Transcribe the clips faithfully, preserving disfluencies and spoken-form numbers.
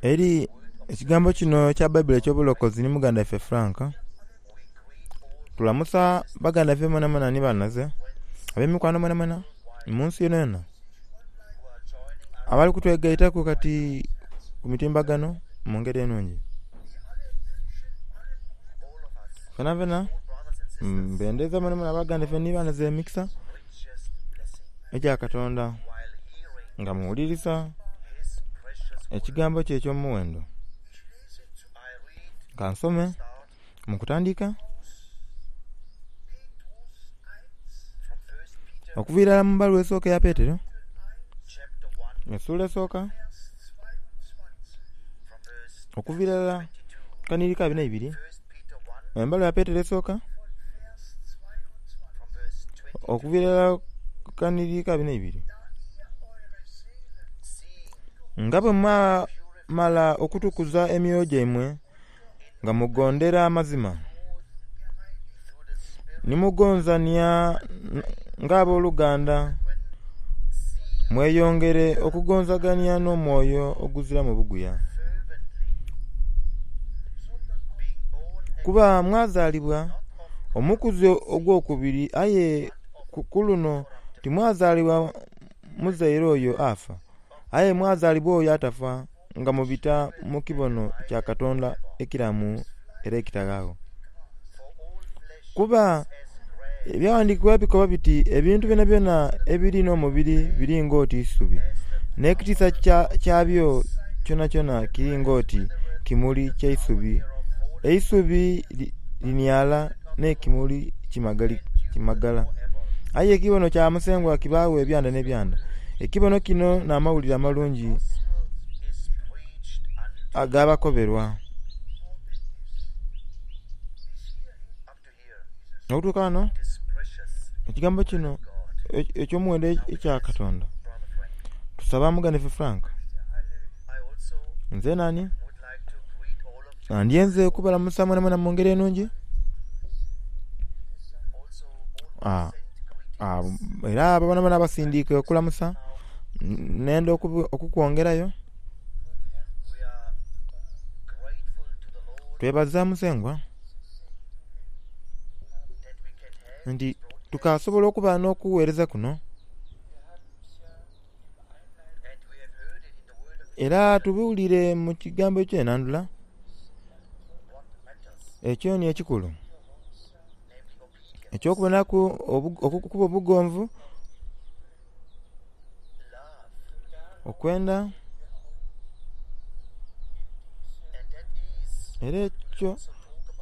Eri ekigambo kino ekya Baibuli eky'obulokozi ni muganda waife Frank. Tulamusa baganda baife mwenamwena ni banhinaze, ab'emikwano mwenamwena mu nsi yonayona, abali kutwegaitaku kati ku mitimbagano mu ngeri enungi. Fenafena mbendeza mwenamwena baganda baife ni banhinaze emikisa egya Katonda nga muwulirisa ekigambo kye eky'omughendo. Ka nsome mu kutandika okuviira irala mu bbaluwa esooka eya Petero, esula esooka okuviira irala ku kanhiriri ka abiri n'eibiri, embaluwa ya Petero esooka okuviira irala ku kanhiriri ka abiri n'eibiri. Nga bwe mwamala okutukuza emyoyo gyaimwe nga mugondera amazima, ni mugonzania ng'aboluganda, mweyongere okugonzagania n'omwoyo oguziramu obuguya. Kuba mwazaalibwa omukuzi ogwokubiri aye ku luno timwazaalibwa muzaire oyo afa, aye mwazaalibwa oyo atafa nga mubita mu kibono kya Katonda ekiramu era ekitaghaagho. Kuba ebyaghandiikibwa bikoba biti ebintu byonabyona ebiri n'omubiri biri ng'oti isubi, n'ekitiisa kyabyo kyonakyona kiri ng'oti kimuli kya isubi. Eisubi liniala n'ekimuli kimagala, aye ekibono kya Musengwa kibaagho ebyanda n'ebyanda. Ekibono kino n'Amawulire Amalungi agabakoberwa. Okutuuka ghano ekigambo kino eky'omughendo ekya Katonda, tusaba muganda waife Frank, nze nani nandyenze okubalamusa mwenamwena mu ngeri enungi era abo boonaboona abasindiike okulamusa nenda okukwongerayo. Twebaza Musengwa nti tukasobola okuba n'okugheereza kuno era tubiwulire mu kigambo eky'enhandhula ekyo ni ekikulu eky'okubonaku okuba obugonvu, okwenda era ekyo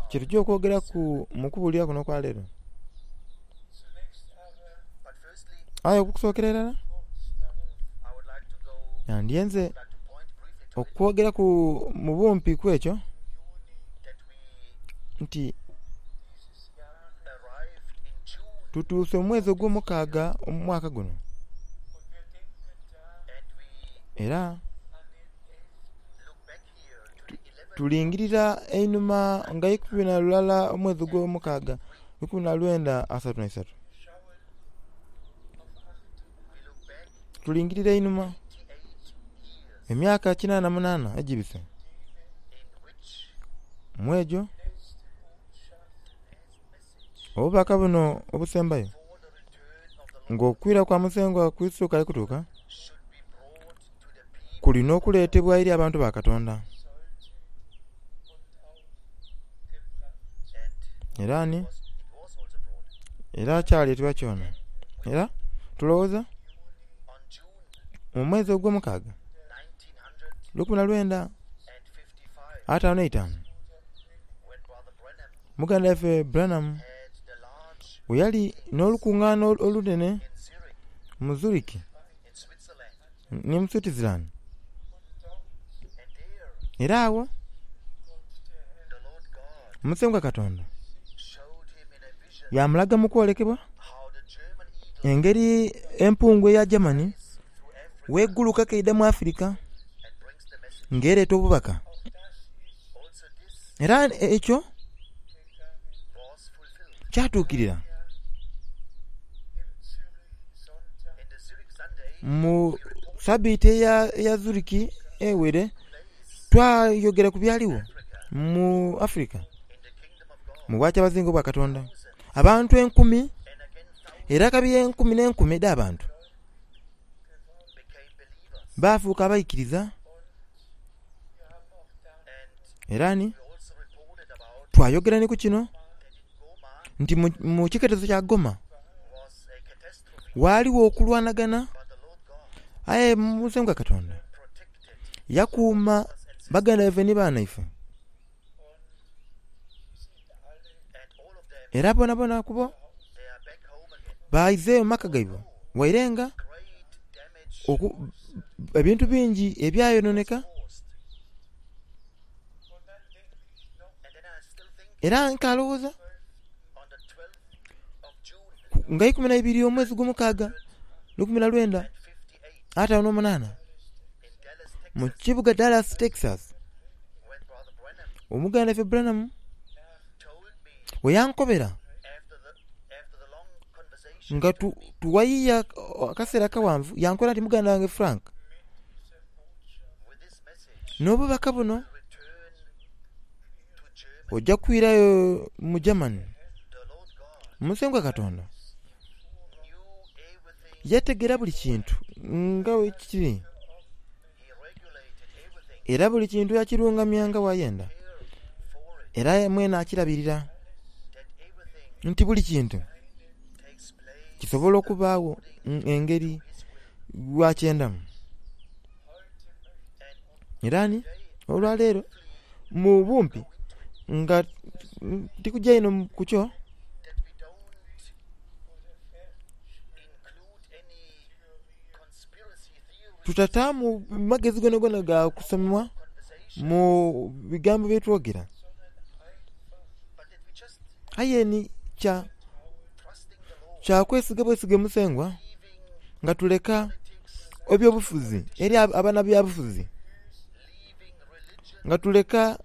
kyetugya okwogeraku mu kubulira kuno okwaleero. Aye okusookera irala nandyenze okwogeraku mu bumpi ku ekyo nti tutuuse mu mwezi ogw'omukaaga omwaka guno era tulingirira einhuma nga ikumi na lulala omwezi ogw'omukaaga lukumi na lwenda asatu n'eisatu. Tulingirira einhuma emyaka kinana munana egibise mu egyo obubaka buno obusembayo nga okwira kwa Musengwa Kurisito kukali kutuuka kulina okuleetebwa eri abantu ba Katonda. Era ni era kyaleetebwa kyona era tulowooza mu mwezi ogw'omukaaga lukumi na lwenda ataanu n'eitaanu muganda waife Branham bwe yali n'olukungaana olunene mu Zurich ni mu Switzerland era agho Musengwa Katonda yamulaga mu kwolekebwa engeri empungu eya Germany bweguluka keidha mu Africa nga ereeta obubaka. Era ekyo kyatuukirira mu sabiiti eya Zurich eweire. Twayogera ku byaliwo mu Africa mu bwakyabazinga obwa Katonda, abantu enkumi era kabi enkumi n'enkumi edh'abantu baafuuka abaikiriza. Era ni twayogera ni ku kino nti mu kiketezo kya Goma waaliwo okulwanagana, aye Musengwa Katonda yakuuma baganda baife ni banaife era bonabona kubo baizeeyo mu maka gaibwe, waire nga ebintu bingi ebyayononeka. Era nkalowooza nga ikumi na ibiri omwezi gw'omukaaga lukumi na lwenda ataano n'omunaana mu kibuga Dallas, Texas, omuganda waife Branham weyankobera nga tuwayiya akaseera akawanvu, yankobera nti muganda wange Frank, n'obubaka buno ojja kwirayo mu Germany. Musengwa Katonda yategera buli kintu nga bwe kiri, era buli kintu yakirungamya nga bwayenda, era mwene akirabirira nti buli kintu kisobola okubaagho engeri bwakyendamu. Era ni olwaleero mu bumpi nga tikugya inho kukyo, tutataamu magezi gonagona ga kusoma mu bigambo byetwogera, aye ni kya kya kwesiga bwesige Musengwa nga tuleka ebyobufuzi eri abanabyabufuzi, nga tuleka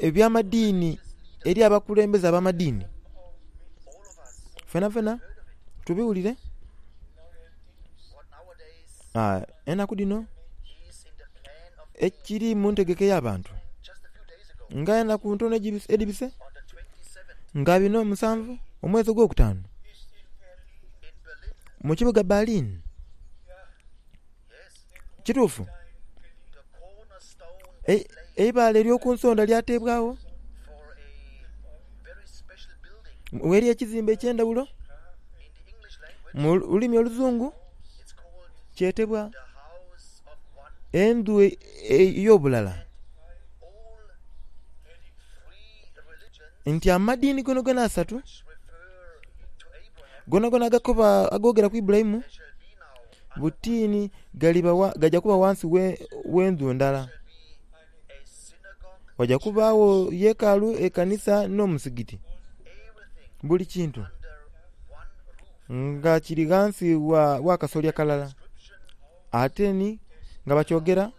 eby'amadiini eri abakulembeze ab'amadiini. Fenafena tubiwulire. Enaku dhino ekiri mu ntegeka ey'abantu nga enaku ntono edhibise nga bino musanvu omwezi ogwokutaanu mu kibuga Berlin. Kituufu, eibaale ery'okunsonda lyateebwagho gheri ekizimbe eky'endhaghulo mu lulimi oluzungu kyetebwa endhu ey'obulala, nti amadiini gonagona asatu gonagona agakoba agogera ku Ibulayimu butini gaja kuba ghansi w'endhu ndala. Ghaja kubaagho yekaalu, ekanisa n'omusigiti. Buli kintu nga kiri ghansi wa kasolya kalala. Ate ni nga bakyogera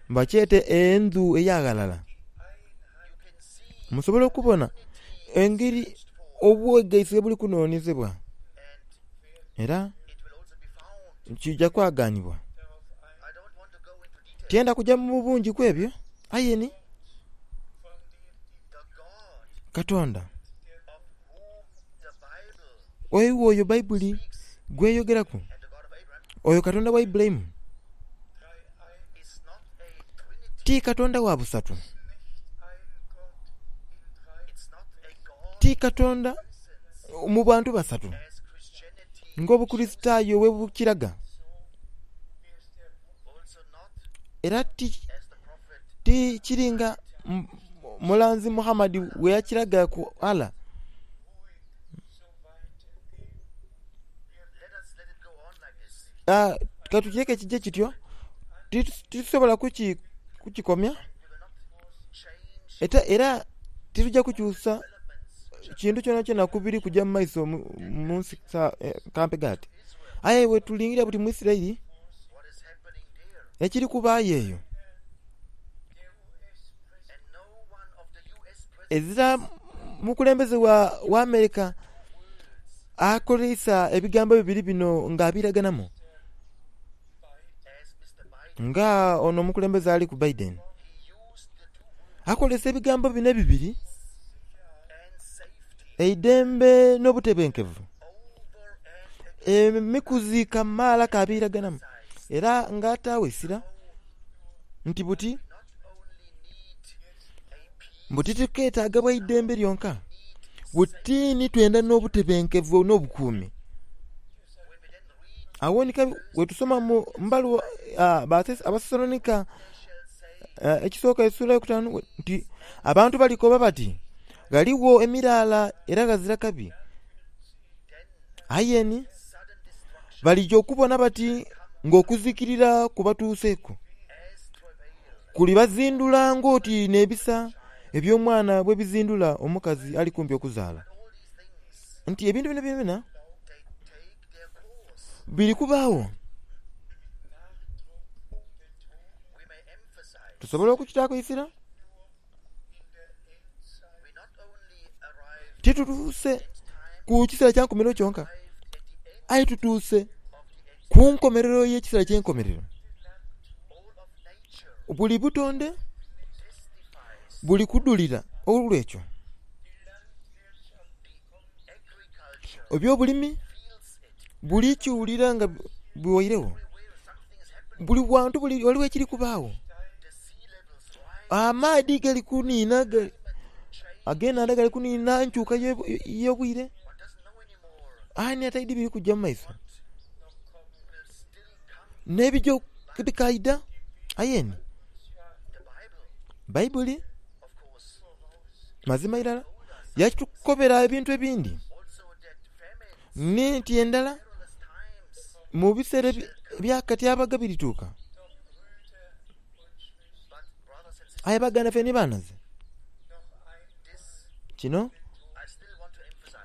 bakyete endhu ey'aghalala. Musobola okubona engeri obwegaisi bwe buli kunonezebwa, era kija kwaganibwa. Tyenda kugya mu bungi ku ebyo, aye ni Katonda oyo oyo Baibuli gweyogeraku, oyo Katonda wa Ibulayimu, ti Katonda wa busatu, ti Katonda mu bantu basatu ng'Obukurisitaayo bwe bukiraga, era ti kiri nga mulanzi Muhammad bwe yakiraga ku Allah. Katukireke kije kityo, titusobola kukikomya era tituja kukyusa kintu kyonakyona ku biri kugya mu maiso mu nsi kampe ghati. Aye bwetulingirira buti mu Isiraeli ekiri kubaayo eyo, ezira mukulembeze wa America akoleisa ebigambo bibiri bino nga abiraganamu nga ono omukulembeze aliku Biden. Akolesa ebigambo bino ebibiri, eidembe n'obutebenkevu, emikuzi kamaala kabiraganamu era nga ataawo eisira nti buti buti tiketaaga bwa idembe lyonka, buti ni twenda n'obutebenkevu n'obukuumi. Awo ni wetusoma mu mbaluwa Abasesalonika ekisooka esula eyokutaanu nti abantu balikoba bati ghaligho emiraala era ghazira kabi, aye ni balija okubona bati ng'okuzikirira kubatuuseku kulibazindula ng'oti n'ebisa eby'omwana bwebizindula omukazi ali kumpi okuzaala. Nti ebintu bino byonabyona biri kubaagho. Tusobola okukitaaku eisira? Titutuuse ku kiseera kya nkomerero kyonka, aye tutuuse ku nkomerero y'ekiseera ky'enkomerero. Buli butonde buli kudhulira olw'ekyo. Eby'obulimi buli kiwulira nga biwairegho. Buli wantu ghaligho ekiri kubaagho. Amaadhi gali kunhinha, ag'enhandha gali kunhinha, enkyuka y'obwire. Ani ataidhi biri kugya mu maiso? N'ebigya bikaidha aye ni Baibuli mazima irala yakitukobera ebintu ebindi ni nti endala mu biseera eby'akatyabaga birituuka. Aye baganda baife ni banhaze, kino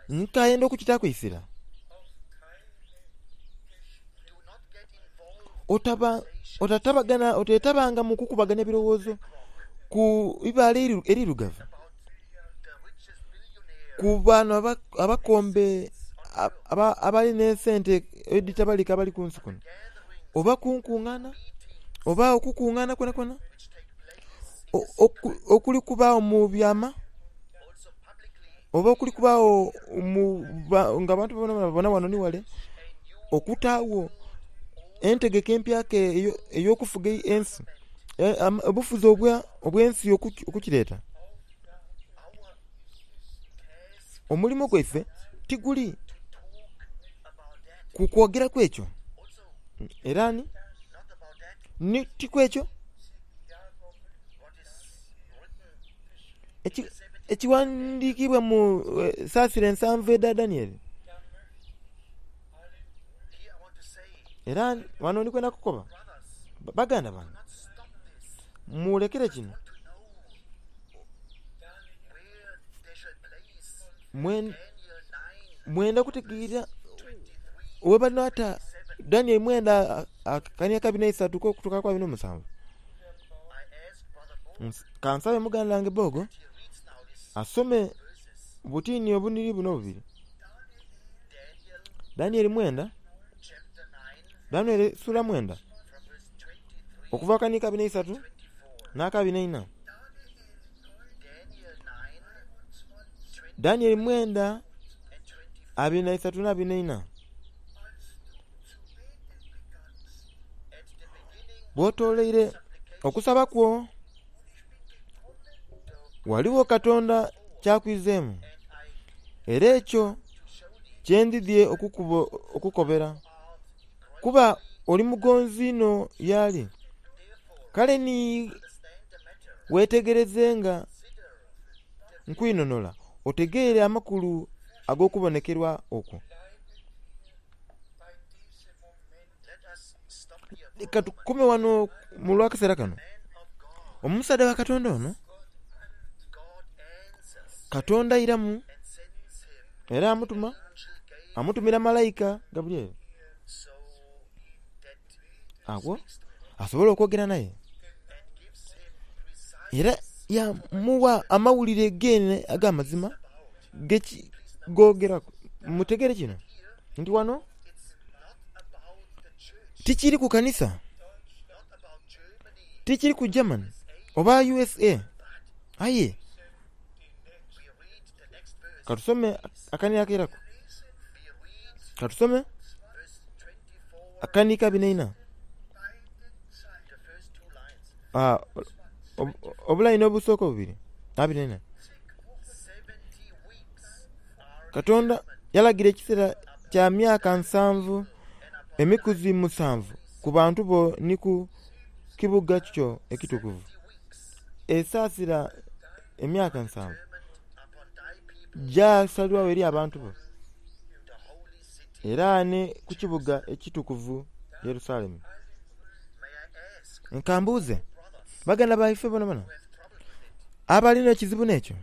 nkayenda okukitaaku eisira. Otaba otatabagana otetabanga mu kukubaganya birowoozo ku ibaale erirugavu, ku bano abakombe abali n'esente edhitabalika abali ku nsi kuno, oba ku nkungaana, oba okukungaana kwonakwona okuli kubaagho mu byama, oba okuli kubaagho nga abantu babona ghano ni ghale, okutaagho entegeka empyaka ey'okufuga ensi, obufuzi obw'ensi okukireeta. Omulimo gwaife tiguli ku kwogeraku ekyo, era ni ti kwekyo ekighandhiikibwa mu saasira ensanvu edha Danieli. Era ghano ndi kwenda kukoba, baganda bange, mulekere kino. Mwenda kutegeera webanata Danieli mwenda akania akabiri n'eisatu okutuuka ku abiri n'omusanvu. Kansabe muganda wange Bogo asome butini obunhiriri buno obubiri. Danieli mwenda, Danieli sula mwenda okuva akania akabiri n'eisatu n'akabiri n'eina. Danieli mwenda abiri na isatu n'abiri n'eina. Bw'otoleire okusaba kwo, ghaligho Katonda ky'akwizeemu, era ekyo kye ndidhie okukobera, kuba oli mugonzi inho y'ali. Kale ni weetegereze nga nkwinhonhola otegeere amakulu ag'okubonekerwa okwo. Leka tukome ghano mu lw'akaseera kano. Omusaadha wa Katonda ono, Katonda airamu era amutuma, amutumira malaika Gabulyeri agho asobole okwogera naye. Era yaamugha amawulire geene ag'amazima gogeraku. Mutegeere kino nti ghano tikiri ku kanisa, tikiri ku Germany oba U S A Aye katusome akani akairaku, katusome akani kabiri n'eina, ah, obulaini obusooka obubiri abiri n'eina. Katonda yalagira ekiseera kya myaka nsanvu emikuzi musanvu ku bantu bo ni ku kibuga kyo ekitukuvu. Esaasira emyaka nsanvu gyasalibwagho eri abantu bo era ni ku kibuga ekitukuvu Yerusalemu. Nkambuuze baganda baife bonabona abalina ekizibu n'ekyo,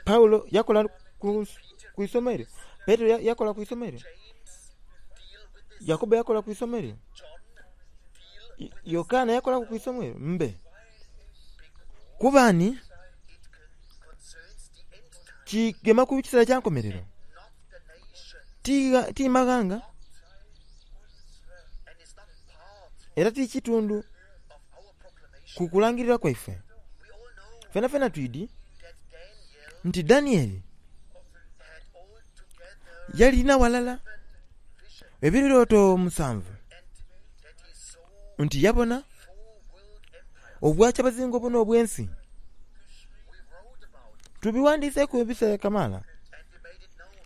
Paulo yakola ku isomo eryo, Petero yakola ku isomo eryo, Yakobo yakola ku isomo eryo, Yokaana yakolaku ku isomo eryo. Mbe kuba ni kigema ku kiseera kya nkomerero, ti maghanga era ti kitundu ku kulangirira kwaife. Fenafena twidi nti Danieli yalina walala ebirooto musanvu, nti yabona obwakyabazinga obuno obw'ensi. Tubiwandiiseku ebiseera kamaala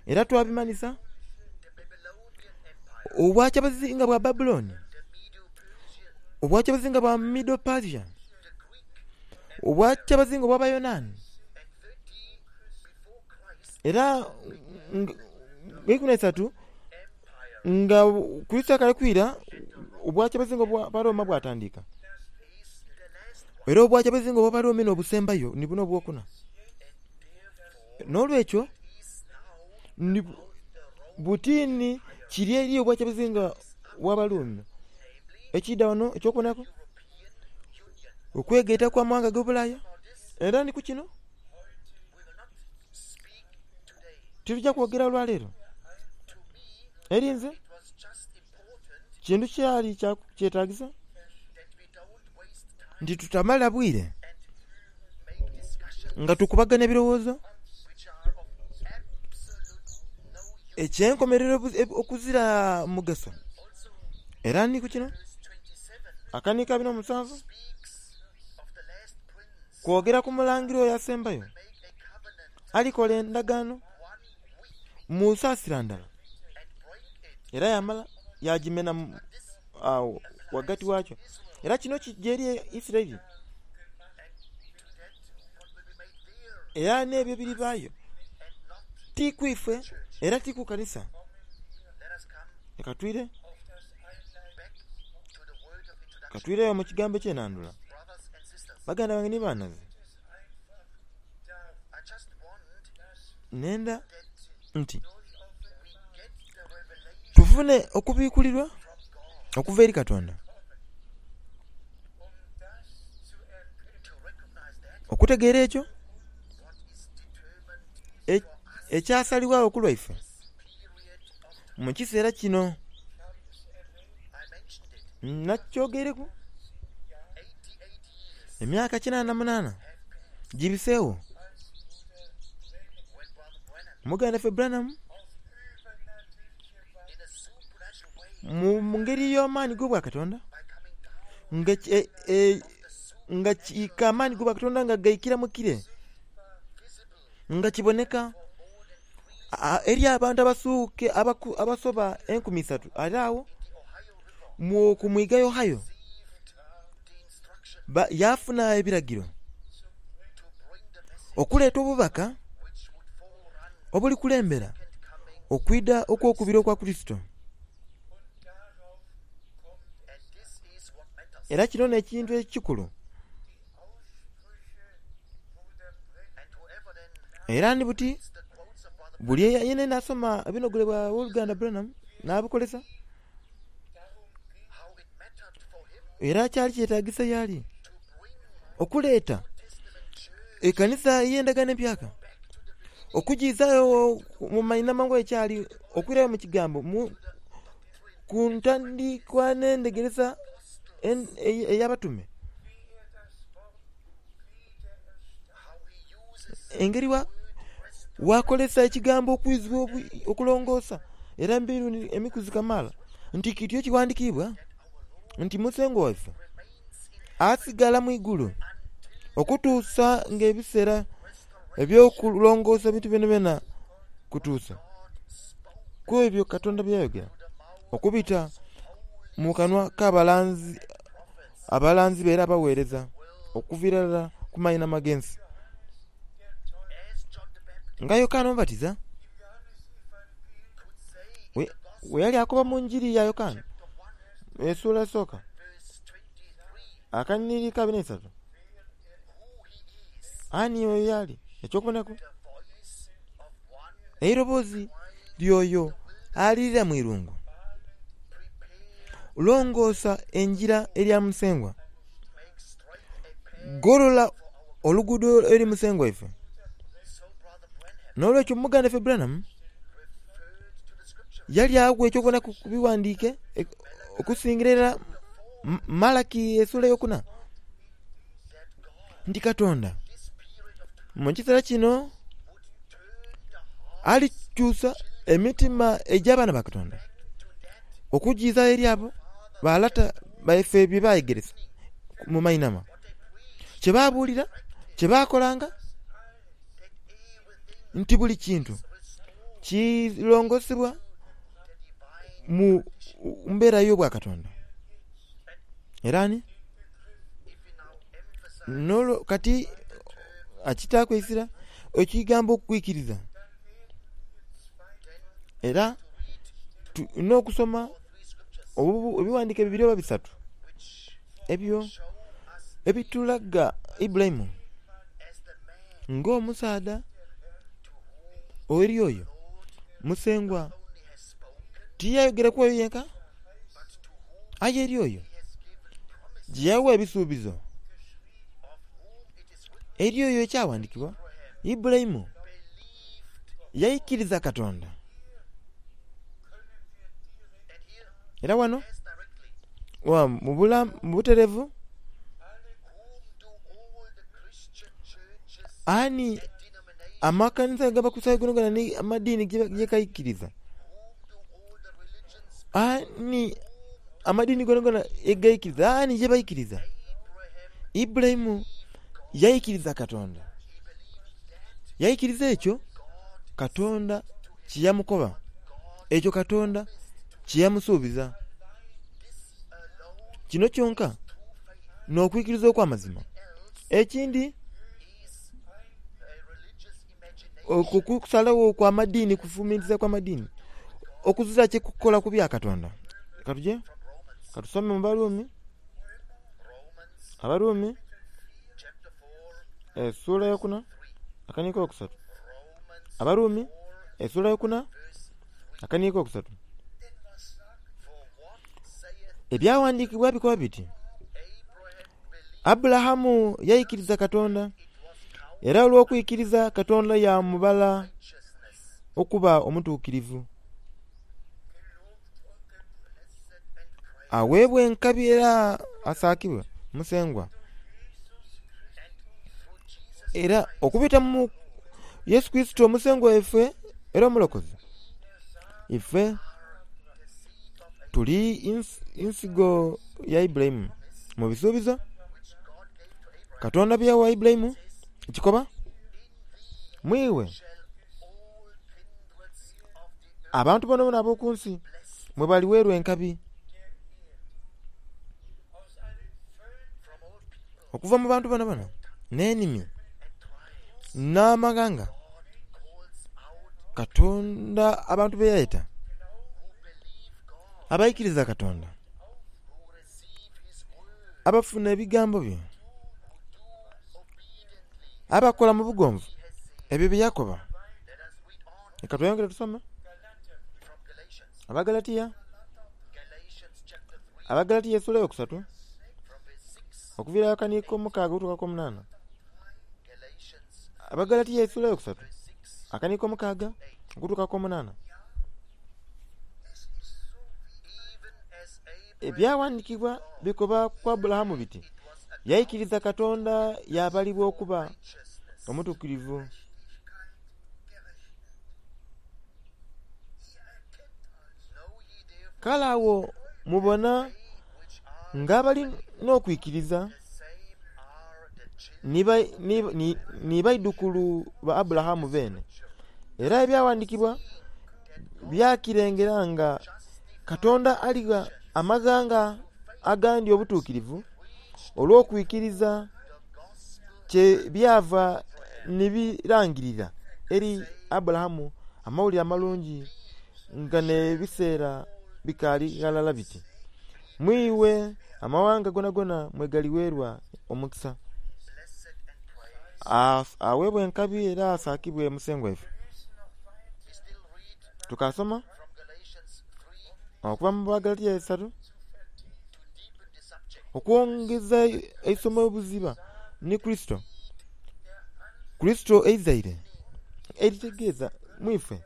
era twabimanisa obwakyabazinga bwa Babulooni, obwakyabazinga bwa Medo Persia, obwakyabazinga obw'Abayonaani, era nga ikumi n'eisatu nga Kurisito akali kwira obwakyabazinga obw'Abaroma bwatandika. Era obwakyabazinga obw'Abaroma n'obusembayo ni buno obwokuna. N'olwekyo butini kiri eri obwakyabazinga bw'Abaruumi ekida wano ekyokubonaku okwegaita kw'amawanga ag'Obulaaya. Era ni ku kino tituja kwogera olwaleero. Eri nze kintu kyali kyetagisa nti tutamala bwire nga tukubagana ebirowoozo ekyenkomerero okuzira mugaso. Era ni ku kino akani kabiri n'omusanvu kwogera ku mulangira oyo asembayo alikola endagaano mu nsaasira ndala era yamala yagimena awo ghagati wakyo. Era kino kijja eri Isiraeli era n'ebyo biribaayo ti ku ife era ti ku kanisa. Leka twire katwireyo mu kigambo eky'enandula. Baganda bange ni banaze, nenda nti tufune okubikulirwa okuva eri Katonda, okutegeera ekyo ekyasalibwagho ku lwaife mu kiseera kino. Nakyogereku emyaka kinaana munaana gibiseewo muganda ffe Branham mu ngeri y'amaani g'obwakatonda nga e, e, nga kiika amaani g'obwakatonda nga gaikira mu kire nga kiboneka eri abantu abasuuke abasoba enkumi isatu ali awo ku mwiga Ohio yafuna ebiragiro okuleeta obubaka obulikulembera okwida okwokubiri okwa Kurisito. Era kino n'ekintu ekikulu. Era ni buti buli yena nasoma ebinogole bwa owoluganda Branham n'abukolesa, era kyali kyetagisa yali okuleeta ekanisa ey'endagaano empyaka okugizaayo mu mainama ekyali okwirayo mu kigambo ku ntandikwa n'endegeresa ey'abatume, engeri wakolesa ekigambo okwizibwa okulongoosa era emirundi emikuzi kamaala nti kityo kiwandiikibwa nti Musengwa waife asigala mu igulu okutuusa ng'ebiseera eby'okulongoosa ebintu byonabyona kutuusa ku ebyo Katonda byeyayogera okubita mu kanwa k'abalanzi abalanzi be era abaweereza okuviira irala ku mainhama g'ensi. Nga Yokaana Omubatiza we yali akoba mu njiri ya Yokaana essuula esooka akanhiriri ka abiri n'eisatu ani oyo y'ali eky'okubonaku eiroboozi ly'oyo alirira mu irungu, longoosa engira erya Musengwa, golola oluguudo eri Musengwa waife. N'olwekyo muganda waife Branham yali awa eky'okubonaku ku biwandiike okusingira irala Malaki essuula eyokuna nti Katonda mu kiseera kino alikyusa emitima egy'abaana ba Katonda okugiiza eri abo balata baife bye bayegeresa mu mainhama, kye babuulira, kye baakolanga, nti buli kintu kilongosebwa mu mbeera y'obwakatonda. Era ni nolwo kati akitaaku eisira ekigambo okwikiriza era tulina okusoma ebiwandiike bibiri oba bisatu ebyo ebitulaga Ibulayimu ng'omusaadha eri oyo Musengwa tiyayogeraku oyo yenka aye eri oyo gye yawa ebisuubizo eri oyo ekyawandikibwa Ibulayimu yaikiriza Katonda. Era wano mu buterevu ani amakanisa g'Abakulisitaayo gonagona ni amadiini ge gaikiriza, ani amadiini gonagona egaikiriza, ani ye baikiriza? Ibulayimu yaikiriza Katonda. Yaikiriza ekyo Katonda kye yamukoba, ekyo Katonda kye yamusuubiza. Kino kyonka n'okwikiriza okw'amazima. Ekindi okwo kusalagho okw'amadiini kufumintiriza kw'amadiini okuzira kye kukola ku bya Katonda. Katuje katusome mu Baruumi, Abaruumi essuula eyokuna akaniiko akokusatu. Abaruumi essuula eyokuna akaniiko akokusatu. Ebyawandiikibwa bikoba biti Aburahamu yaikiriza Katonda era olw'okwikiriza Katonda yamubala okuba omutuukirivu. Aweebwa enkabi era asaakibwe Musengwa. Era okubita mu Yesu Kurisito Omusengwa waife era Omulokozi, ife tuli nsigo ya Ibulayimu mu bisuubizo Katonda bye yawa Ibulayimu kikoba mwiwe abantu bonabona ab'oku nsi mwe baliweerwa enkabi okuva mu bantu bonabona n'enimi n'amaghanga. Katonda abantu be yayeta abaikiriza Katonda abafuna ebigambo bye abakola mu bugonvu ebyo bye yakoba. Leka tweyongere tusome Abagalatiya, Abagalatiya essuula eyokusatu okuviira akaniiko omukaaga okutuuka ku omunaana. Abagalatiya essuula eyokusatu akaniiko omukaaga okutuuka ku omunaana. Ebyawandiikibwa bikoba ku Aburahamu biti, yaikiriza Katonda yaabalibwa okuba omutuukirivu. Kale agho mubona ng'abali n'okwikiriza ni baidhukulu ba Aburahamu beene. Era ebyawandiikibwa byakirengera nga Katonda aligha amaghanga agandi obutuukirivu olw'okwikiriza, kyebyava ni birangirira eri Aburahamu Amawulire Amalungi nga n'ebiseera bikaali ghalala biti, mu iwe amaghanga goonagoona mwe galigheerwa omukisa. Aweebwe enkabi era asaakibwe Musengwa waife. Tukaasoma okuva mu Bagalatia isatu okwongeza eisomo obuziba ni Kurisito. Kurisito eizaire eritegeeza mu ife,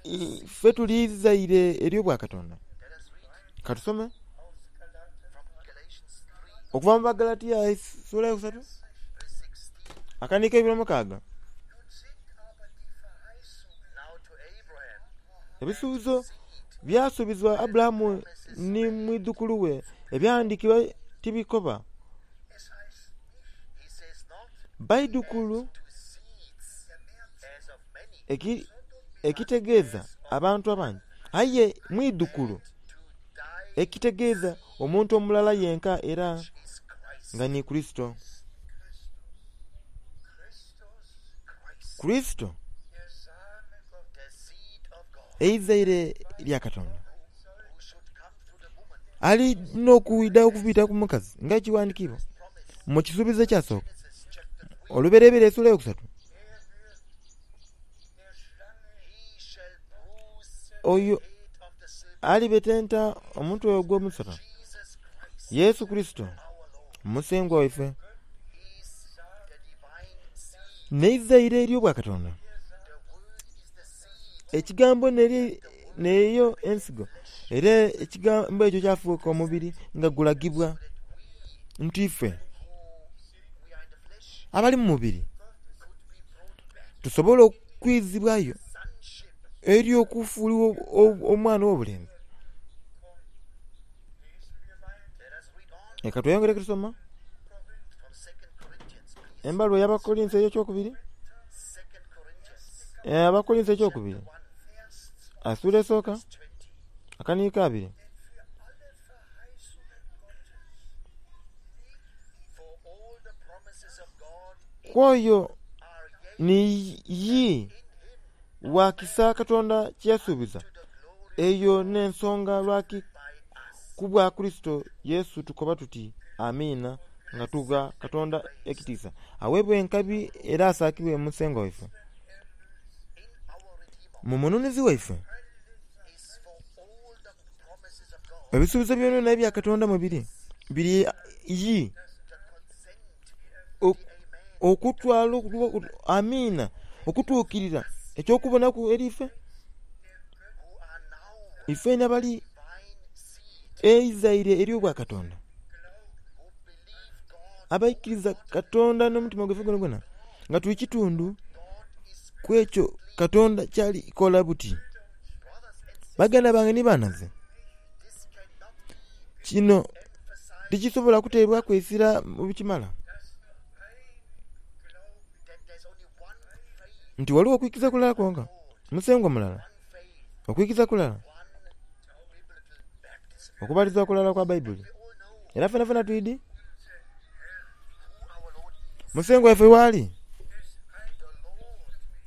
ife tuli izaire ery'Obwakatonda. Katusome okuva mu Bagalatia esula eyokusatu akaniiko eibiri omukaaga. Ebisuubizo byasuubizibwa Aburahamu ni mwidhukulu we. Ebyawandiikibwa tibikoba baidhukulu ekitegeeza abantu abangi, aye mwidhukulu ekitegeeza omuntu omulala yenka era nga ni Kurisito. Kurisito eizaire lya Katonda ali n'okwidha okubita ku mukazi nga ekiwandiikibwa mu kisuubizo ekyasooka, Olubereberye esula eyokusatu. Oyo alibetenta omutwe ogw'omusota, Yesu Kurisito Musengwa waife, n'eizaire ery'Obwakatonda. Ekigambo n'eyo ensigo, era ekigambo ekyo kyafuuka omubiri nga gulagibwa nti ife abali mu mubiri tusobole okwizibwayo eri okufuulibwa omwana ow'obulenzi. Leka tweyongereku tusoma embaluwa ey'Abakolinso ekyokubiri, Abakolinso ekyokubiri esula esooka akaniiko abiri. Ku oyo ni yii wa kisa Katonda kye yasuubiza. Eyo n'ensonga lwaki ku bwa Kurisito Yesu tukoba tuti amiina nga tugha Katonda ekitiisa. Aweebwe enkabi era asaakibwe Musengwa waife. Mu Mununuzi waife, ebisuubizo byonabyona ebya Katonda mwe biri, biri yii okutwala amiina okutuukirira eky'okubonaku eri ife. Ife n'abali eizaire ery'Obwakatonda abaikiriza Katonda n'omutima gwaife gwonagwona nga tuli kitundu ku ekyo Katonda kyali kola buti. Baganda bange ni banhaze, kino tikisobola kuteebwaku isira mu bikimala nti ghaligho okwikiriza kulala kwonka, Musengwa mulala, okwikiriza kulala, okubatizibwa kulala kwa Baibuli. Era fenafena twidhi Musengwa waife ghali,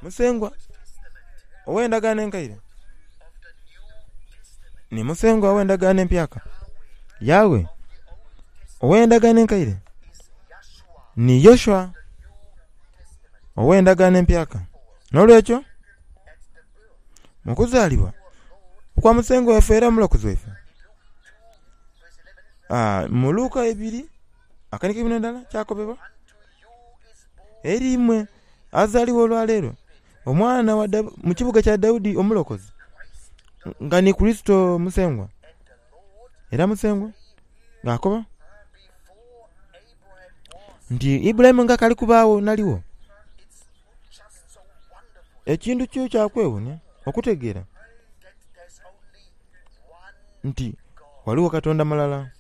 Musengwa ow'endagaano enkaire ni Musengwa ow'endagaano empyaka. Yawe ow'endagaano enkaire ni Yoshua ow'endagaano empyaka. N'olwekyo mu kuzaalibwa okwa Musengwa waife era Omulokozi waife, mu Luka ibiri akaniiko eikumi n'endala kyakobebwa, eri imwe azaalibwa olwaleero omwana mu kibuga kya Daudi Omulokozi, nga ni Kurisito Musengwa. Era Musengwa ng'akoba nti Ibulayimu nga akali kubaagho naligho. Ekintu kyo kyakwewuunia okutegeera nti ghaligho Katonda mulala.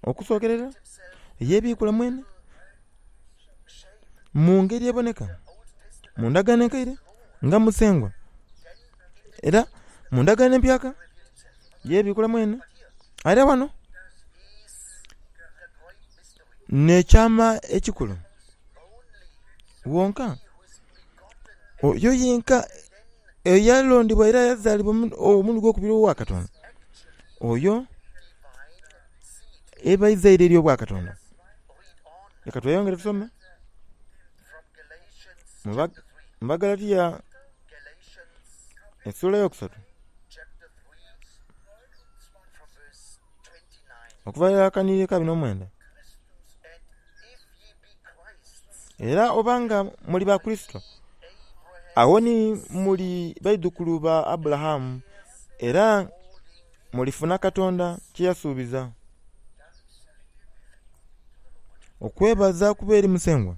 Okusookerera eyebiikula mwene mu ngeri eboneka mu ndagaano enkaire nga Musengwa, era mu ndagaano empyaka yebiikula mwene. Era ghano n'ekyama ekikulu wonka oyo yenka eyalondebwa era yazaalibwa omulundi ogwokubiri owa Katonda, oyo eba eizaire ery'obwakatonda. Leka tweyongere tusome mu Bagalatiya esula eyokusatu okuva akanhiriri aka abiri n'omwenda. Era oba nga muli ba Kurisito, agho ni muli baidhukulu ba Aburahamu era mulifuna Katonda kye yasuubiza. Okwebaza kube eri Musengwa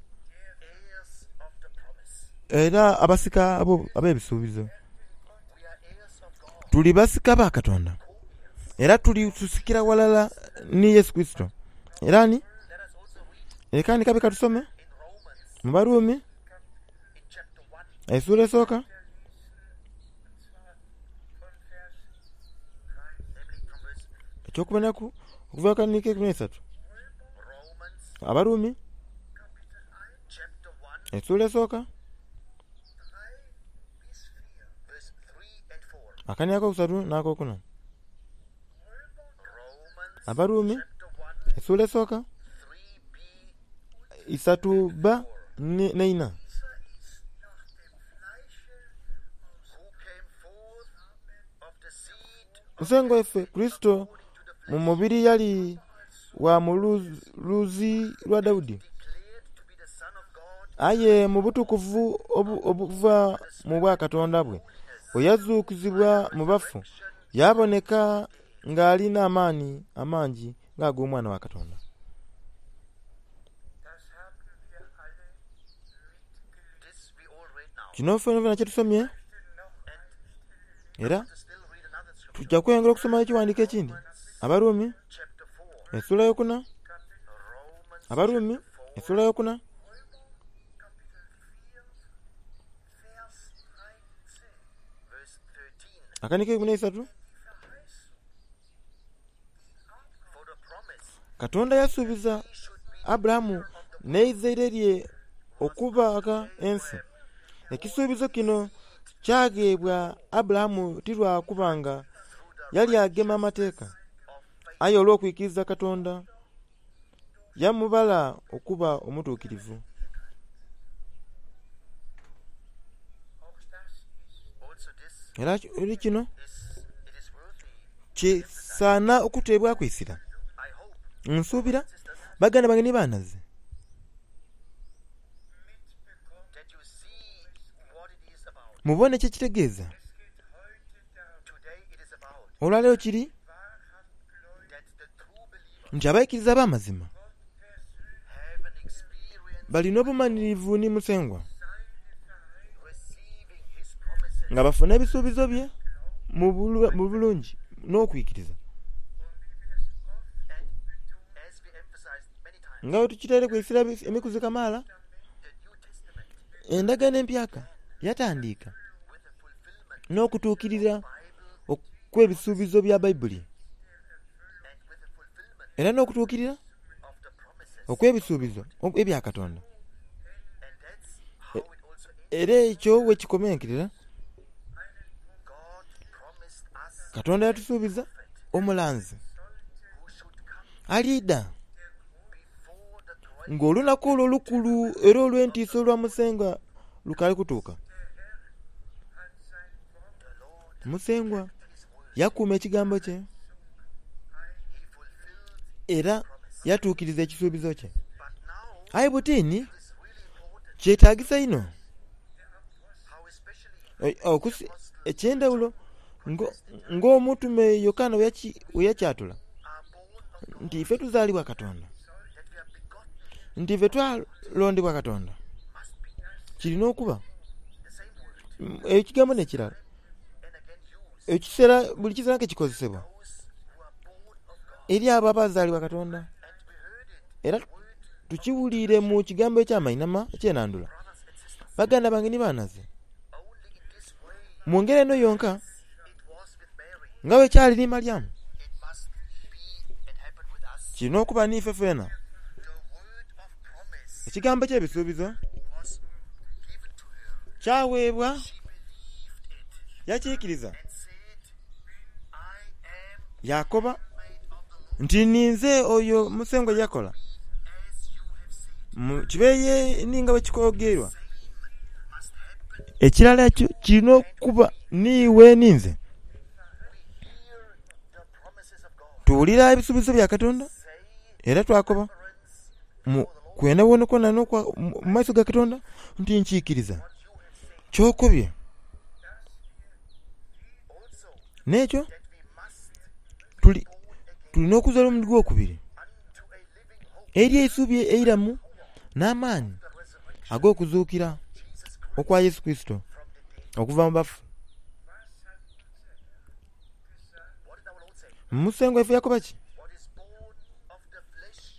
era abasika ab'ebisuubizo. Tuli basika ba Katonda era tuli tusikira ghalala ni Yesu Kurisito. Era ni leka ni kabi katusome mu Barumi esula esooka eky'okubonaku okuva akaniiko eikumi n'eisatu. Abarumi esula esooka akaniiko akokusatu n'akokuna. Abarumi esula esooka isatu bba n'eina. Musengwa waife Kurisito mu mubiri yali wa mu luzi lwa Daudi, aye mu butukuvu obuva mu bwakatonda bwe, bwe yazuukizibwa mu bafu, yaboneka ng'ali n'amaani amangi ng'ag'Omwana wa Katonda. Kino fenafena kyetusomye era tuja kweyongera okusoma ekighandhiko ekindhi. Abarumi esula eyokuna, Abarumi esula eyokuna. Akaniiko eikumi n'eisatu. Katonda yasuubiza Aburahamu n'eizaire lye okubagha ensi. Ekisuubizo kino kyagheebwa Aburahamu ti lwa kuba nga yali agema amateeka, aye olw'okwikiriza Katonda yamubala okuba omutuukirivu. Era eri kino kisaana okuteebwaku eisira. Nsuubira baganda bange ni banhaze mubone kyekitegeeza. Olwaleero kiri nti abaikiriza ab'amazima balina obumanhirivu ni Musengwa nga bafuna ebisuubizo bye mu bulungi n'okwikiriza. Nga bwe tukitaireku eisira emikuzi kamaala, endagaano empyaka yatandika n'okutuukirira okw'ebisuubizo bya Baibuli era n'okutuukirira okw'ebisuubizo ebya Katonda. Era ekyo bwekikomenkerera, Katonda yatusuubiza omulanzi aliidha ng'olunaku olwo olukulu era olw'entiisa olwa Musengwa lukaali kutuuka. Musengwa yakuuma ekigambo kye era yatuukiriza ekisuubizo kye. Aye butini kyetagisa inho eky'endhaghulo Ng'omutume Yokaana bwe yakyatula nti ife tuzaalibwa Katonda, nti ife twalondebwa Katonda. Kirina okuba ekigambo n'ekirala ekiseera buli kiseera nga kikozesebwa eri abo abazaalibwa Katonda. Era tukiwulire mu kigambo eky'amainhama ekyenandula. Baganda bange ni banaze, mu ngeri eno yonka nga bwe kyali ni Malyamu, kirina okuba n'ife fena. Ekigambo eky'ebisuubizo kyaweebwa yakiikiriza yakoba nti ninze oyo Musengwa yakola kibeeye ninga bwe kikogerwa. Ekirala ekyo kirina okuba niiwe ninze. Tuwulira ebisuubizo bya Katonda era twakoba mu kwenda kwona mu maiso ga Katonda nti nkiikiriza ky'okobye. N'ekyo tulina okuzaalibwa omulundi gw'okubiri eri eisuubi eiramu n'amaani ag'okuzuukira okwa Yesu Kurisito okuva mu bafu. Musengwa waife yakoba ki?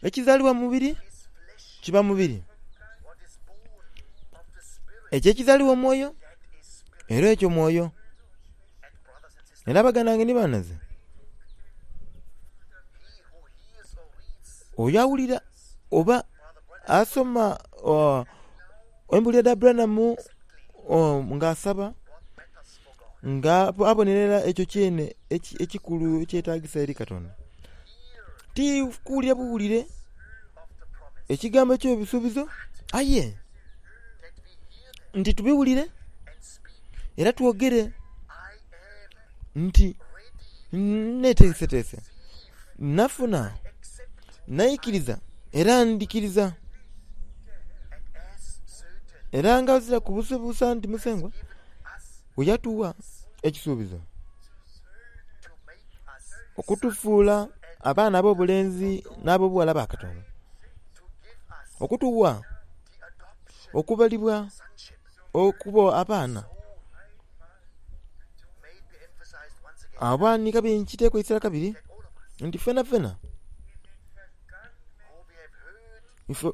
Ekizaalibwa mu mubiri kiba mubiri, ekyo ekizaalibwa omwoyo era ekyo mwoyo. Era baganda bange ni banaze, oyo awulira oba asoma embulira dha Branham nga asaba nga abonerera ekyo kyene ekikulu ekyetagisa eri Katonda. Ti kuwulira buwulire ekigambo eky'ebisuubizo aye nti tubiwulire era twogere nti neteeseteese, nafuna, naikiriza era ndikiriza. Era nga ozira kubuusabuusa nti Musengwa bwe yatuwa ekisuubizo okutufuula abaana ab'obulenzi n'ab'obughala ba Katonda, okutuwa okubalibwa okuba abaana. Abaani kabiri nkiteekwa eisira kabiri nti fena fena ife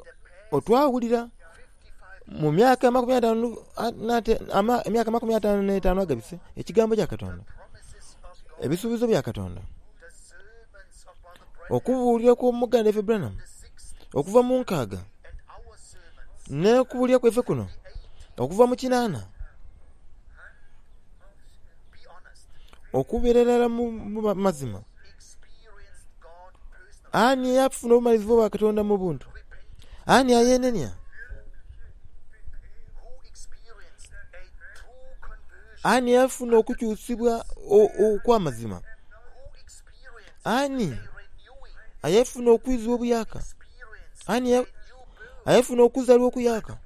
otwawulira mu myaka amakumi ataanu emyaka amakumi ataanu n'etaanu agabise ekigambo kya Katonda, ebisuubizo bya Katonda, okubuulira kw'omuganda waife Branham okuva mu nkaaga n'okubuulira kwaife kuno okuva mu kinaana, okubeera irala mu mazima. Ani eyafuna obumalirivu bwa Katonda mu buntu? Ani ayenenia? Ani eyafuna okukyusibwa okw'amazima? Ani ayefuna okwizibwa obuyaka? Ani ayefuna okuzaalibwa okuyaka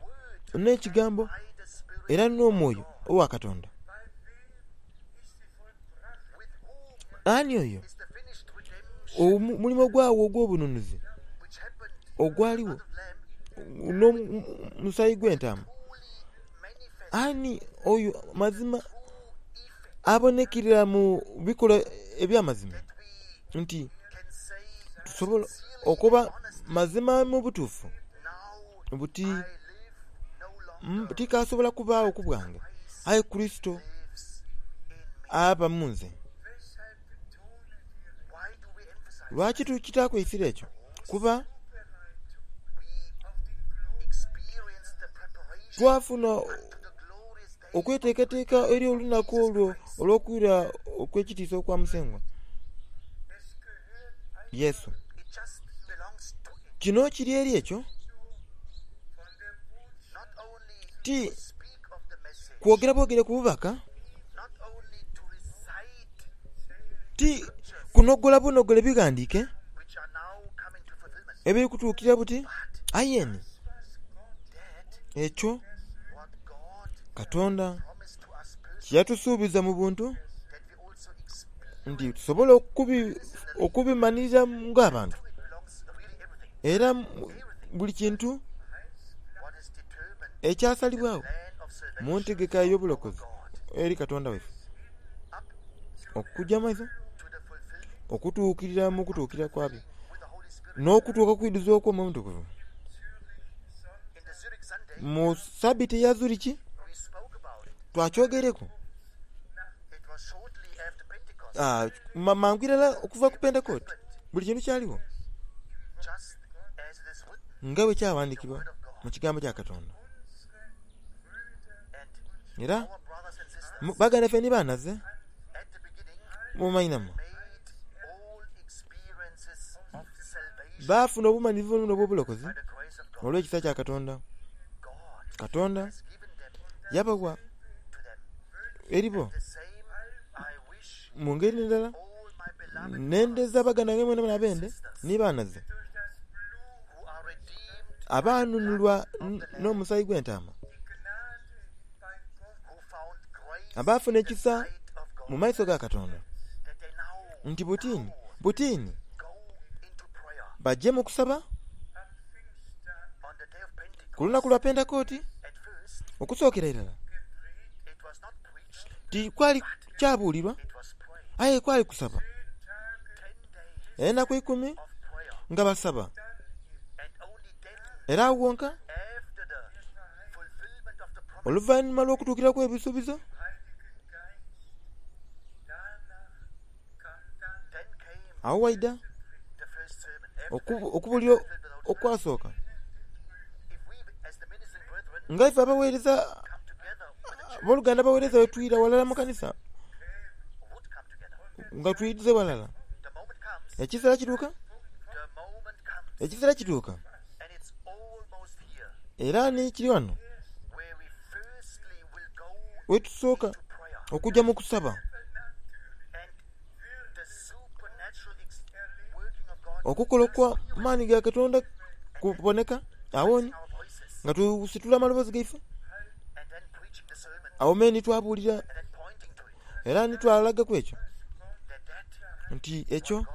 n'ekigambo era n'omwoyo owa Katonda? Ani oyo omulimo gwawo ogw'obununuzi ogwaliwo n'omusaayi gw'entaama? Ani oyo mazima abonekerera mu bikolwa eby'amazima nti tusobola okuba mazima mu butuufu buti tikasobola kubaawo ku bwange, aye Kurisito aba mu nze. Lwaki tukitaaku eisira ekyo? Kuba twafuna okweteekateeka eri olunaku olwo olw'okwira okw'ekitiisa okwa Musengwa Yesu. Kino kiri eri ekyo ti kwogera bwogere ku bubaka, ti kunogola bunogole bighandiike ebiri kutuukira buti, aye ni ekyo Katonda kyeyatusuubiza mu buntu Nti tusobola okubi okubimanirira ng'abantu. Era buli kintu ekyasalibwagho mu ntegeka ey'obulokozi eri Katonda waife okugya mu maiso okutuukirira mu kutuukirira kwabyo n'okutuuka okwidhuza okw'Omwoyo Omutukuvu. Mu sabiti eya Zurich twakyogereku ah, mangu irala okuva ku Pentekooti buli kintu kyaligho nga bwe kyawandikibwa mu kigambo kya Katonda. Era baganda baife ni banaze mumainhama baafuna obumanhirivu buno obw'obulokozi olw'ekisa kya Katonda. Katonda yabawa eribo mu ngeri endala nendeza baganda bange mwenamwena abende ni banaze abaanunulwa n'omusaayi gw'entaama, abaafuna ekisa mu maiso ga Katonda nti butini butini baje mu kusaba ku lunaku lwa Pentekooti. Okusookera irala tikwali kyabuulirwa aye kwali kusaba enaku ikumi nga basaba, era agho wonka oluvainhuma lw'okutuukirira kw'ebisuubizo agho waidha okubulira okwasooka nga ife abaweereza abooluganda abaweereza bwe twira ghalala mu kanisa nga twidhize ghalala, ekiseera kituuka ekiseera kituuka era ni kiri ghano wetusooka okugya mu kusaba okukola okwa maani ga Katonda kuboneka awo nga tusitula amaloboozi gaife agho me ni twabuulira era ni twalagaku ekyo nti ekyo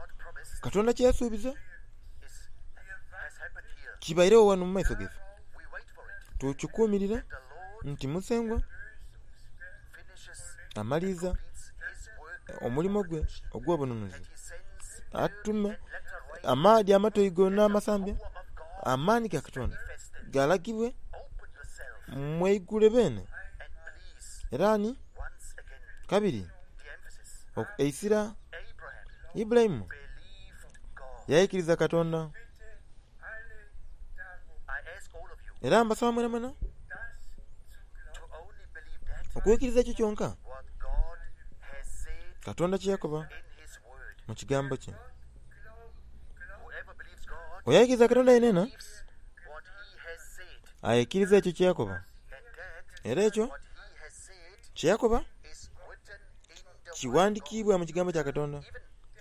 Katonda kye yasuubiza kibairegho ghano mu maiso gaife. Tukikuumirira nti Musengwa amaliriza omulimo gwe ogw'obununuzi, atume amaadhi amatoigo n'amasambya, amaani ga Katonda galagibwe mweigule beene. Era ni kabiri eisira Ibulayimu yaikiriza Katonda. Era mbasaba mwenamwena okwikiriza ekyo kyonka Katonda kye yakoba mu kigambo kye. Oyo aikiriza Katonda yenena aikiriza ekyo kye yakoba, era ekyo kye yakoba kiwandikiibwa mu kigambo kya Katonda.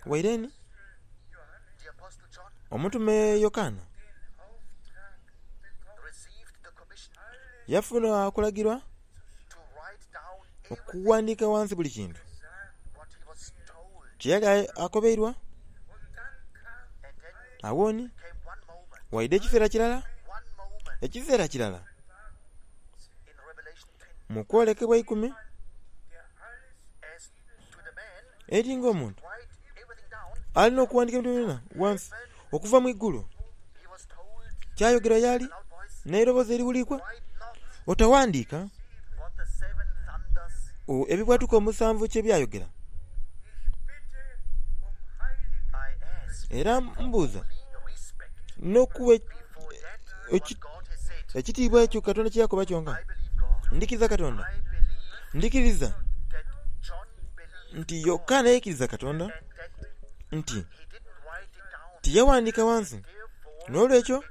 Waire ni omutume Yokaana yafuna okulagirwa okuwandiika ghansi buli kintu kye yali akobeirwa. Agho ni waidha ekiseera kirala ekiseera kirala mu kwolekebwa ikumi eri ng'omuntu alina okuwandiika ebintu byona ghansi okuva mu igulu. Kyayogerwa y'ali n'eiroboozi eriwulikwa, otawandiika ebibwatuka omusanvu kye byayogera. Era mbuuza n'okuwa ekitiibwa ekyo Katonda kye yakoba kyonka. Ndikiriza Katonda, ndikiriza nti Yokaana yaikiriza Katonda nti tiyawandiika ghansi. N'olwekyo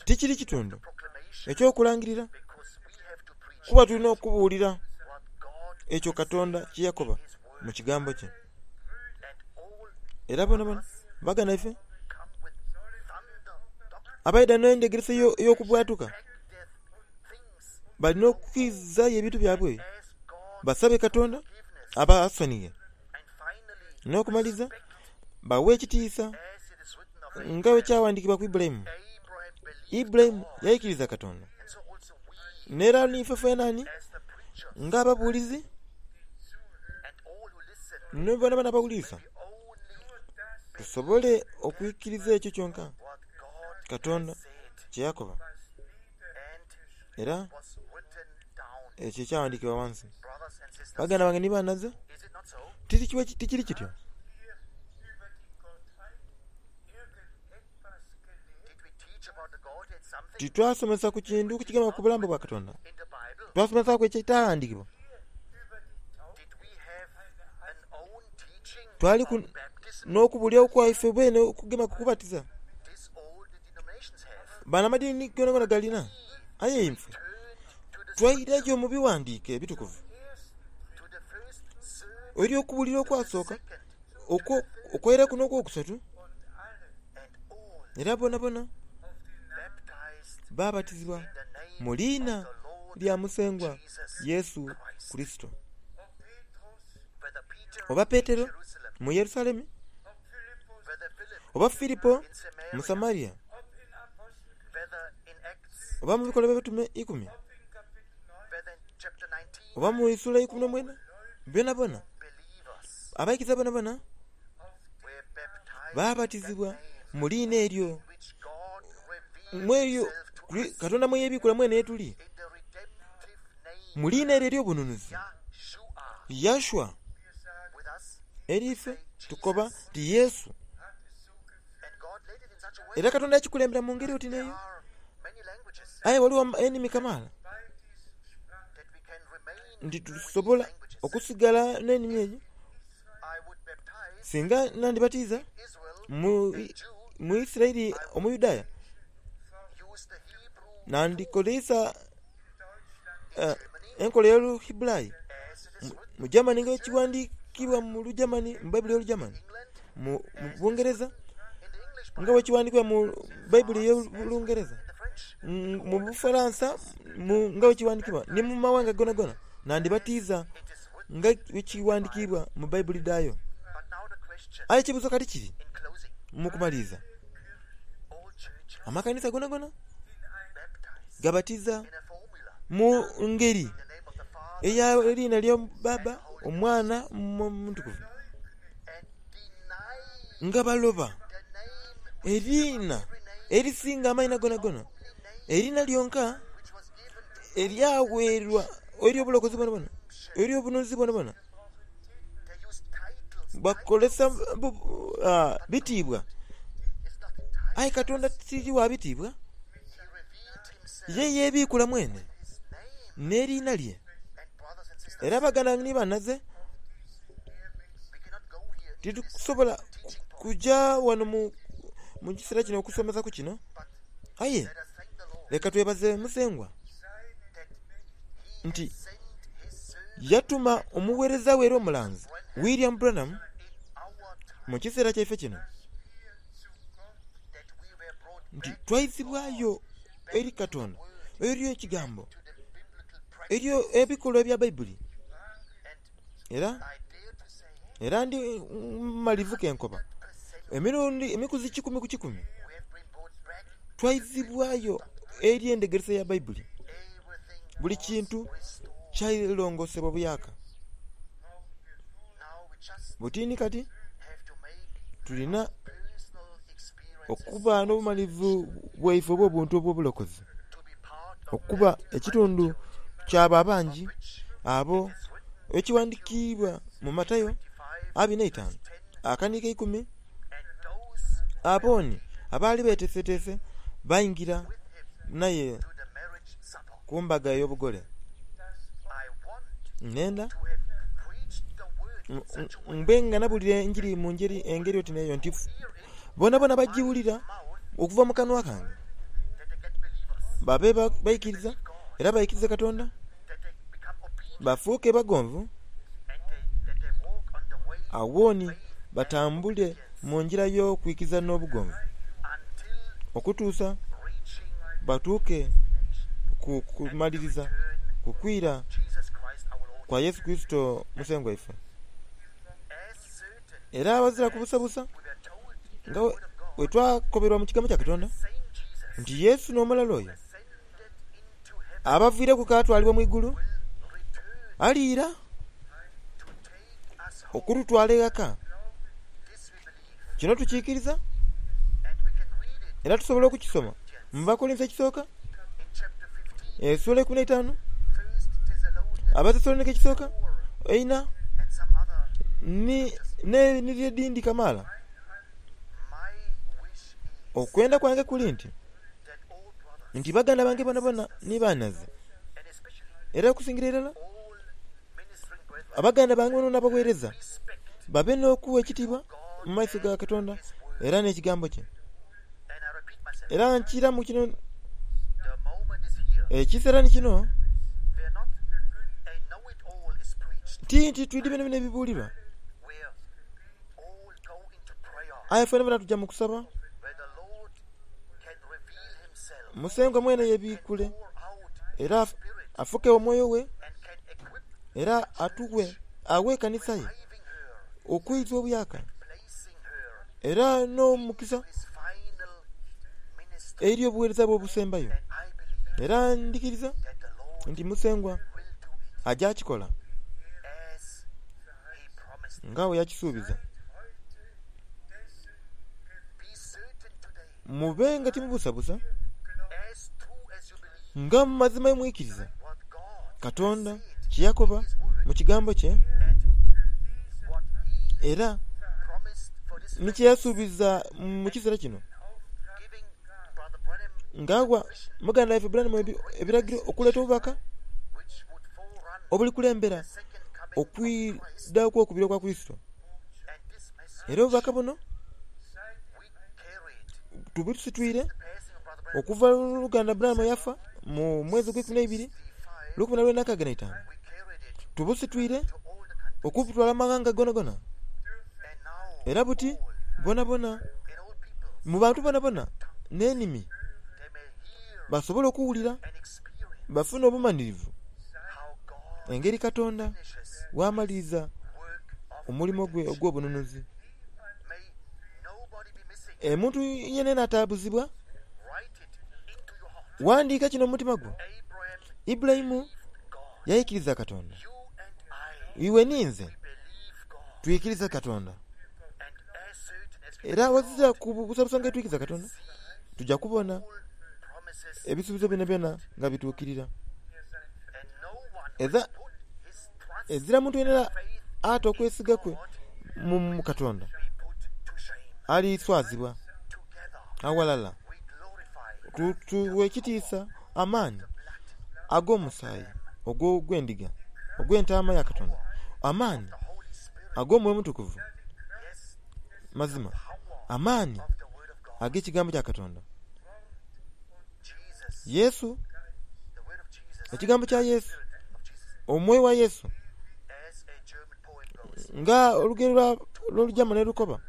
tikiri kitundu eky'okulangirira kuba tulina okubuulira ekyo Katonda kye yakoba mu kigambo kye. Era bonabona baganda baife abaidha n'endhegeresa ey'okubwatuka balina okwizaayo ebintu byabwe basabe Katonda abasonighe. N'okumaliza bawe ekitiisa nga bwe kyawandiikibwa ku Ibulayimu. Ibulayimu yaikiriza Katonda. N'era niife fenani ng'ababuulizi ni bonabona abawulirisa tusobole okwikiriza ekyo kyonka Katonda kye yakoba era ekyo ekyawandiikibwa wansi. Baganda bange ni banaze, tikiri kityo? Titwasomesa ku kintu kigema ku bulamu bwa Katonda. Twasomesaku ekitaghandiikibwa. Twaliku n'okubulya okwaife bwene okugema ku kubatiza. Bano amadini gonagona galina, aye ife twaireyo mu biwandiike ebitukuvu eri okubulira okwasooka, okwaireku n'okwokusatu, era bonabona babatizibwa mu liina lya Musengwa Yesu Kurisito. Oba Petero mu Yerusalemu, oba Filipo mu Samaria, oba mu bikolwa by'Abatume ikumi, oba mu isula eikumi n'omwenda, bonabona abaikiriza bonabona babatizibwa mu liina eryo mweryo Katonda mwe yeebikula mwene yetuli, mu liina eryo ery'obununuzi Yashua. Eri ife tukoba nti Yesu. Era Katonda yakikulembera mu ngeri oti n'eyo. Aye waliwo enimi kamaala nti tusobola okusigala n'enimi eyo. Singa nandibatiza mu, mu Isiraeli Omuyudaaya, nandikoleisa uh, enkola ey'Oluhibulayi mu Germany nga ekiwandiikibwa mu Lugermany, mu Bayibuli y'Olugermany, mu Bungereza nga bwekiwandiikibwa mu Bayibuli y'Olungereza, mu Bufalansa nga bwekiwandiikibwa ni mu mawanga gonagona, nandibatiza nga bwekiwandiikibwa mu Bayibuli dhayo. Aye ekibuuzo kati kiri mu kumaliriza, amakanisa gonagona gabatiza mu ngeri ey'eriina lya Baba, Omwana, Omutukuvu, nga baloba eriina erisinga amaina gonagona, eriina lyonka eryaweerwa ery'obulokozi bwonabwona, ery'obununuzi bwonabwona. Bakozesa bitiibwa, aye Katonda tiri wa bitiibwa. Ye yeebikula mwene n'eriina lye. Era baganda ni banaze, titusobola kuja wano mu kiseera kino okusomesa ku kino, aye leka twebaze Musengwa nti yatuma omuweereza we era omulanzi William Branham mu kiseera kyaife kino nti twaizibwayo eri Katonda, eri ekigambo, eri ebikolwa ebya Baibuli. Era era ndi mumalivu kenkoba emirundi emikuzi kikumi ku kikumi twaizibwayo eri endhegeresa ya Baibuli. Buli kintu kyailongosebwa buyaka. Butini kati tulina okuba n'obumalivu bwaife obw'obuntu obw'obulokozi, okuba ekitundu kyabo abangi abo ekiwandiikibwa mu Matayo abiri n'eitaanu akaniiko eikumi, abooni abaali beteeseteese baingira naye ku mbaga ey'obugole. Nenda mbe nga nabulira enjiri mu ngeri engeri oti n'eyo nti bonabona bagiwulira okuva mu kanwa kange, babe baikiriza era baikirize Katonda, bafuuke bagonvu, awooni batambule mu ngira y'okwikiriza n'obugonvu okutuusa batuuke ku kumaliriza ku kwira kwa Yesu Kurisito Musengwa waife. Era abazira kubusabusa nga bwe twakoberwa mu kigambo kya Katonda nti Yesu n'omulala oyo abaviireku k'atwalibwa mu igulu aliira okututwala eghaka. Kino tukiikiriza era tusobola okukisoma mu Bakolinso ekisooka essuula eikumi n'eitaanu, Abatesalonika ekisooka eina ni n'enhiriri edhindi kamaala. Okwenda kwange kuli nti nti baganda bange bonabona ni banhaze, era okusingira irala abaganda bange bonabona abagheereza babe n'okuwa ekitiibwa mu maiso ga Katonda era n'ekigambo kye. Era nkiramu kino ekiseera ni kino ti nti twidhi bino bino ebibuulirwa, aye fenafena tuja mu kusaba Musengwa mwene yebiikule era afuke omwoyo we era atuwe awe ekanisa ye okwiza obuyaka era n'omukisa eri obuweereza bwe obusembayo. Era ndhikiriza nti Musengwa aja kikola nga bwe yakisuubiza. Mube nga timubusabusa nga mu mazima mwikiriza Katonda kye yakoba mu kigambo kye era ni kye yasuubiza mu kiseera kino, nga awa muganda waife Branham ebiragiro okuleeta obubaka obulikulembera okwidha okw'okubiri okwa Kurisito. Era obubaka buno tubusitwire okuva oluganda Branham yafa mu mwezi ogw'eikumi n'eibiri lukumi na lwenda nkaaga na itaanu. Tubusitwire okubutwala mu maghanga gonagona. Era buti bonabona mu bantu bonabona n'enimi basobole okuwulira bafune obumanhirivu engeri Katonda bw'amaliriza omulimo gwe ogw'obununuzi. Omuntu yenayena atabuzibwa, ghandhiika kino mu mutima gwo. Ibulayimu yaikiriza Katonda. Iwe ninze twikiriza Katonda. Era ghazira kubusabusa nga twikiriza Katonda, tuja kubona ebisuubizo byonabyona nga bituukirira. Ezira muntu yenayena ata okwesiga kwe mu Katonda aliswazibwa. Aghalala tuwe ekitiisa amaani ag'omusaayi ogw'endiga ogw'entaama ya Katonda, amaani ag'omwoyo Omutukuvu, mazima amaani ag'ekigambo kya Katonda. Yesu, ekigambo kya Yesu, omwoyo wa Yesu, nga olugero lw'Olujamani lukoba,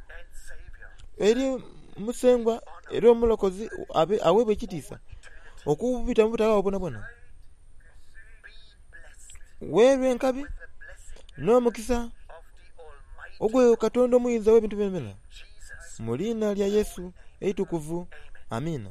eri Musengwa era Omulokozi aweebwa ekitiisa okubita mu butaghabagho bwonabwona. Weerwa enkabi n'omukisa ogwo Katonda omuyinza ow'ebintu byonabyona, mu liina lya Yesu eitukuvu. Amiina.